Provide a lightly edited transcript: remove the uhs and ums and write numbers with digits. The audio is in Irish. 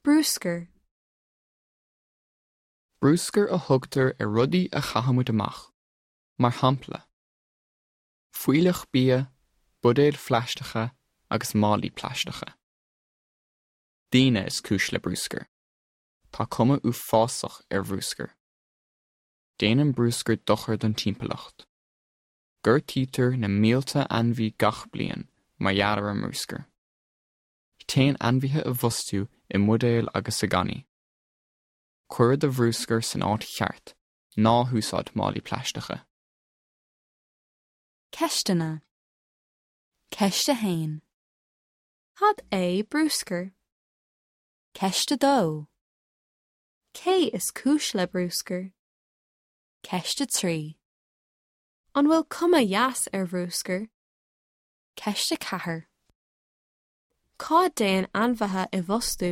Bruscar. Bruscar a thugtar ar rudaí a chaithimid amach, mar shampla, fuílleach bia, buidéil phlaisteacha agus málaí plaisteacha. Daoine is cúis le bruscar. Tá cuma uafásach ar bhruscar. Déanann bruscar dochar don timpeallacht. Gortaítear na mílte ainmhí gach bliain mar gheall ar an mbruscar. Téann ainmhithe i bhfostú i mbuidéil agus i gcannaí. Cuir do bhruscar san áit cheart, ná húsáid málaí plaisteacha. Ceisteanna. Ceist 1. Cad é bruscar? Ceist 2. Cé is cúis le bruscar? Ceist 3. An bhfuil cuma dheas ar bhruscar? Ceist 4. Cá dtéann ainmhithe i bhfostú?